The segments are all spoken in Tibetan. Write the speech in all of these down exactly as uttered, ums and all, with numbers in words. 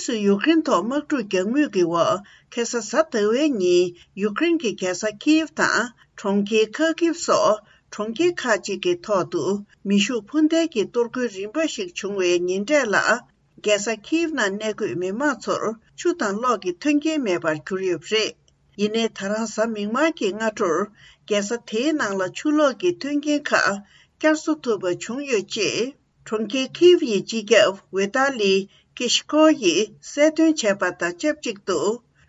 སུས་ཡུཀ་རེན་ཐོག་དམག་འཁྲུག་རྒྱག་མུས་ཀྱི་འོག་ཁ་སང་གཟའ་ཟླ་བའི་ཉིན་ཡུཀ་རེན་གྱི་རྒྱལ་ས་ཁིབ་དང་གྲོང་ཁྱེར་ཁ་ཁིབ་སོགས་གྲོང་ཁྱེར་ཁག་ཅིག་གི་ཐོག་ཏུ་མེ་ཤུགས་འཕུར་མདེལ་གྱི་གཏོར་རྒོལ་རིམ་པ་ཞིག་བྱུང་བའི་ཉིན་གྲས་ལ། རྒྱལ་ས་ཁིབ་ནང་གནས་འཁོད་མི་མང་ཚོར་ཆུ་དང་གློག་གི་མཐུན་རྐྱེན་མེད་པར་གྱུར་ཡོད་པ་རེད། ཡིན་ནའི་ད་རང་གཟའ་མིག་དམར་གྱི་སྔ་དྲོར་རྒྱལ་ས་དེའི་ནང་ལ་ཆུ་གློག་གི་མཐུན་རྐྱེན་ཁག་བསྐྱར་གསོ་ཐུབ་པ་བྱུང་ཡོད་ཅེས། གྲོང་ཁྱེར་ཁིབ་ཡི་སྤྱི་ཁྱབ་ཝེ་ཏཱ་ལི་ཀེ་ཤི་ཀོ་ཡིས་གསལ་སྟོན་བྱས་པ་དང་ཆབས་ཅིག་ཏུ།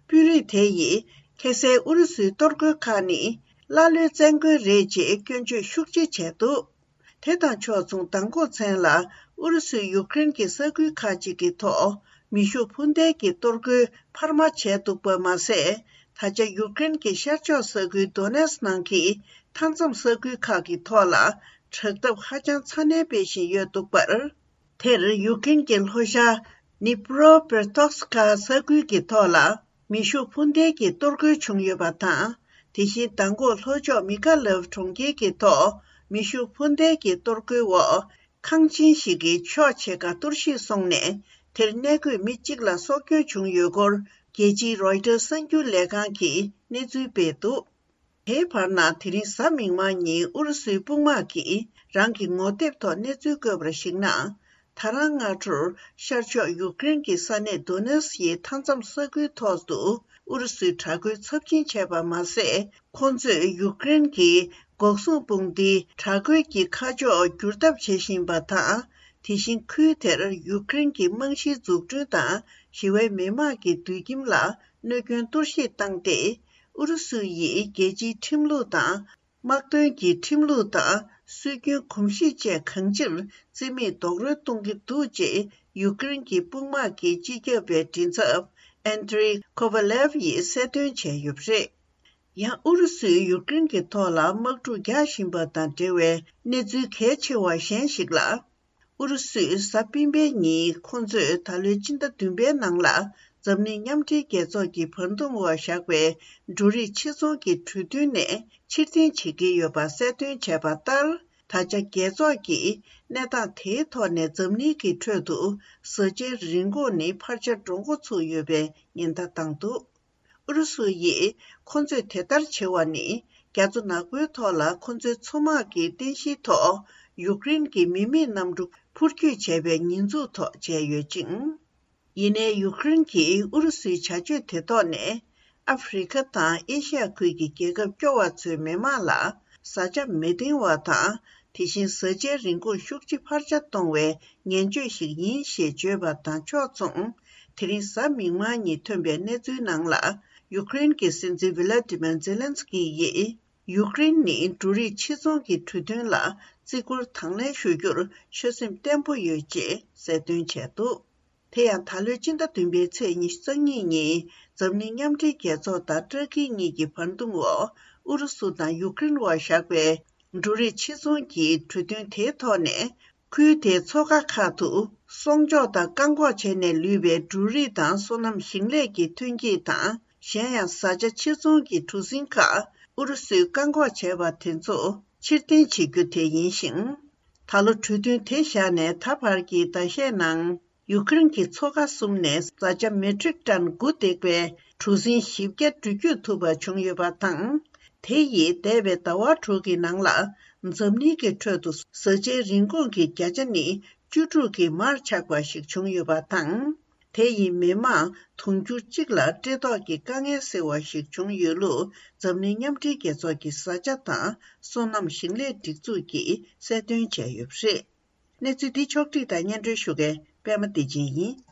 དཔོན་རིགས་དེ་ཡིས་ཁ་སང་ཨུ་རུ་སུའི་གཏོར་རྒོལ་ཁག་ནི་ཀླ་ཀློའི་བཙན་རྒོལ་རེད་ཅེས་སྐྱོན་བརྗོད་ཤུགས་ཆེ་བྱས་འདུག་དེ་དང་ཕྱོགས་མཚུངས་མདང་དགོང་མཚན་ལ་ཨུ་རུ་སུས་ཡུཀ་རེན་གྱི་ས་ཁུལ་ཁག་ཅིག་གི་ཐོག་མེ་ཤུགས་འཕུར་མདེལ་གྱི་གཏོར་རྒོལ་འཕར་མ་བྱས་འདུག་པ་མ་ཟད། ད་ཆ་ཡུཀ་རེན་གྱི་ཤར་ཕྱོགས་ས་ཁུལ་དོ་ནེ་སི་ནང་གི་མཐའ་མཚམས་ས་ཁུལ་ཁག་གི་ཐོག་ལ་དྲག་འཐབ་ཧ་ཅང་ཚ་ནན་སྤེལ་བཞིན་ཡོད་འདུག་པར། དེར་ཡུཀ་རེན་གྱི་ལྷོ་ཤར་ནི་པྲོ་པེ་ཏོག་སི་ཀ་ས་ཁུལ་གྱི་ཐོག་ལ་མེ་ཤུགས་འཕུར་མདེལ་གྱི་གཏོར་རྒོལ་བྱུང་ཡོད་པ་དང་། དེ་བཞིན་མདང་དགོང་ལྷོ་ཕྱོགས་མི་ཀ་ལབ་གྲོང་ཁྱེར་གྱི་ཐོག་མེ་ཤུགས་འཕུར་མདེལ་གྱི་གཏོར་རྒོལ་འོག་ཁང་ཆེན་ཞིག་གི་ཕྱོགས་ཕྱེད་ཀ་གཏོར་བཤིག་སོང་ནས། དེར་གནས་འཁོད་མི་གཅིག་ལ་སྲོག་སྐྱོན་བྱུང་ཡོད་སྐོར། རྒྱལ་སྤྱིའི་རོའི་ཊར་གསར་འགྱུར་ལས་ཁང་གིས་གནས་ཚུལ་སྤེལ་འདུག་དེའི་བར་ན། དེ་རིང་གཟའ་མིག་དམར་ཉིན་ཨུ་རུ་སུའི་དཔུང་དམག་གིས་རང་གི་ངོ་དེབ་ཐོག་གནས་ཚུལ་བཀོད་པར་གཞིགས་ན། ད་རང་སྔ་དྲོར་ཤར་ཕྱོགས་ཡུཀ་རེན་གྱི་ས་གནས་དོ་ནེ་སི་ཡི་མཐའ་མཚམས་ས་ཁུལ་ཐོག་ཏུ་ཨུ་རུ་སུའི་དྲག་རྒོལ་ཚབས་ཆེན་བྱས་པ་མ་ཟད། ཁོ་ཚོས་ཡུཀ་རེན་གྱི་འགོག་སྲུང་དཔུང་སྡེའི་དྲག་རྒོལ་གྱི་ཁ་ཕྱོགས་བསྒྱུར་ཐབས་བྱེད་བཞིན་པ་དང་། དེ་བཞིན་ཁུལ་དེར་ཡུཀ་རེན་གྱི་རྨང་གཞིའི་འཛུགས་སྐྲུན་དང་ཞི་བའི་མི་དམངས་ཀྱི་དུད་ཁྱིམ་ལ་གནོད་སྐྱོན་གཏོར་བཤིག་བཏང་སྟེ། ཨུ་རུ་སུ་ཡིས་རྒྱལ་སྤྱིའི་ཁྲིམས་ལུགས་དང་། དམག་དོན་གྱི་ཁྲིམས་ལུགས་དང་སྲོལ་རྒྱུན་གོམས་གཤིས་བཅས་གང་ཅིར་རྩིས་མེད་རྡོག་རོལ་གཏོང་གི་འདུག་ཅེས་ཡུཀ་རེན་གྱི་དཔུང་དམག་གི་སྤྱི་ཁྱབ་པའི་མགྲིན་ཚབ་ཨན་ཏྲེ་ཁོ་ཝ་ལེབ་ཡིས་གསལ་སྟོན་བྱས་ཡོད་པ་རེད། ཡང་ཨུ་རུ་སུས་ཡུཀ་རེན་གྱི་ཐོག་ལ་དམག་འཁྲུག་རྒྱག་བཞིན་པ་དང་འབྲེལ་བའི་གནས་ཚུལ་གལ་ཆེ་བ་གཞན་ཞིག་ལ། ཨུ་རུ་སུས་གཟའ་སྤེན་པའི་ཉིན་ཁོ་ཚོས་ད་ལོའི་སྤྱི་ཟླ་བདུན་པའི་ནང་ལ་འཛམ་གླིང་མཉམ་འབྲེལ་རྒྱལ་ཚོགས་ཀྱི་བར་འདུམ་འོག་བཞག་པའི་འབྲུ་རིགས་ཕྱིར་ཚོང་གི་གྲོས་མཐུན་ནས་ཕྱིར་འཐེན་བྱེད་ཀྱི་ཡོད་པ་གསལ་སྟོན་བྱས་པ་ལྟར། ད་ཆ་རྒྱལ་ཚོགས་ཀྱིས་གནས་སྟངས་དེའི་ཐོག་ནས་འཛམ་གླིང་གི་ཁྲོད་དུ་བཟའ་བཅའི་རིན་གོང་ནི་འཕར་ཆ་འགྲོ་འགོ་ཚུགས་ཡོད་པའི་ཉེན་བརྡ་བཏང་འདུག་ཨུ་རུ་སུ་ཡིས་ཁོ་ཚོས་དེ་ལྟར་བྱེད་པ་ནི། རྒྱ་མཚོ་ནག་པོའི་ཐོག་ལ་ཁོ་ཚོའི་མཚོ་དམག་གི་རྟེན་གཞིའི་ཐོག་ཡུཀ་རེན་གྱི་མི་མེད་གནམ་གྲུ་འཕུར་སྐྱོད་བྱས་པའི་ཉེས་འཛུགས་ཐོག་བྱས་ཡོད་ཅིང་། ཡིན་ནའི་ཡུཀ་རེན་གྱིས་ཨུ་རུ་སུའི་བྱ་སྤྱོད་དེ་ཐོག་ནས། ཨ་ཧྥེ་རི་ཁ་དང་ཨེ་ཤི་ཡ་ཁུལ་གྱི་རྒྱལ་ཁབ་སྐྱོ་བ་ཚོའི་མི་དམངས་ལ་བཟའ་བཅའ་མི་འདིང་བ་དང་། དེ་བཞིན་བཟའ་བཅའི་རིན་གོང་ཤུགས་ཆེ་འཕར་ཆ་གཏོང་བའི་ངན་བྱུས་ཤིག་ཡིན་ཞེས་བརྗོད་པ་དང་ཕྱོགས་མཚུངས། དེ་རིང་གཟའ་མིག་དམར་ཉིན་ཐོན་པའི་གནས་ཚུལ་ནང་ལ། ཡུཀ་རེན་གྱི་སྲིད་འཛིན་ཝི་ལ་ཏི་མེར་ཛེ་ལན་སི་ཀི་ཡིས། ཡུཀ་རེན་ནི་འབྲུ་རིགས་ཕྱིར་ཚོང་གི་གྲོས་མཐུན་ལ་བརྩི་བཀུར་དང་ལེན་ཞུ་རྒྱུར་ཆོད་སེམས་བརྟན་པོ་ཡོད་ཅེས་གསལ་སྟོན་བྱས་འདུག་དེ་ཡང་ད་ལོའི་སྤྱི་ཟླ་བདུན་པའི་ཚེས་ཉི་ཤུ་རྩ་གཉིས་ཉིན། འཛམ་གླིང་མཉམ་འབྲེལ་རྒྱལ་ཚོགས་དང་ཏུར་ཀི་གཉིས་ཀྱི་བར་འདུམ་འོག་ཨུ་རུ་སུ་དང་ཡུཀ་རེན་དབར་བཞག་པའི་འབྲུ་རིགས་ཕྱིར་ཚོང་གི་གྲོས་མཐུན་དེའི་ཐོག་ནས། ཁུལ་དེའི་མཚོ་ཁ་ཁག་ཏུ་སྲུང་སྐྱོབ་དང་བཀག་འགོག་བྱས་ནས་ལུས་པའི་འབྲུ་རིགས་དང་སོ་ནམ་ཞིང་ལས་ཀྱི་ཐོན་སྐྱེད་དང་། གཞན་ཡང་བཟའ་བཅའ་ཕྱིར་ཚོང་གི་གྲུ་གཟིངས་ཁག་ཨུ་རུ་སུས་བཀག་འགོག་བྱས་པ་དེ་ཚོ་ཕྱིར་འཐེན་བྱེད་རྒྱུ་དེ་ཡིན་ཞིང་། ད་ལོ་གྲོས་མཐུན་དེ་བཞག་ནས་ད་བར་གྱི་ཟླ་ཤས་ནང་། ཡུཀ་རེན་གྱི་མཚོ་ཁ་གསུམ་ནས་བཟའ་བཅའ་མེ་ཊིག་ཊན་དགུ་འདེགས་པའི་གྲུ་གཟིངས་བཞི་བརྒྱ་འགྲུལ་སྐྱོད་ཐུབ་པ་བྱུང་ཡོད་པ་དང་། དེ་ཡིས་འདས་པའི་ཟླ་བ་དྲུག་གི་ནང་ལ་འཛམ་གླིང་གི་ཁྲོད་དུ་བཟའ་བཅའི་རིན་གོང་གི་བརྒྱ་ཆ་ནི་བཅུ་དྲུག་གི་མར་ཆག་པ་ཞིག་བྱུང་ཡོད་པ་དང་། དེ་ཡིས་མི་མང་དུང་ཕྱུར་གཅིག་ལ་བཀྲེས་ལྟོགས་ཀྱི་དཀའ་ངལ་སེལ་བ་ཞིག་བྱུང་ཡོད་ལུགས། འཛམ་གླིང་མཉམ་འབྲེལ་རྒྱལ་ཚོགས་ཀྱི་བཟའ་བཅའ་དང་སོ་ནམ་ཞིང་ལས་སྒྲིག་འཛུགས་ཀྱིས་གསལ་སྟོན་བྱས་ཡོད་པ་རེད། གནས་ཚུལ་འདི་ཕྱོགས་བསྒྲིགས་དང་སྙན་སྒྲོན་ཞུ་མཁན་པད་མ་བདེ་ཆེན་ཡིན།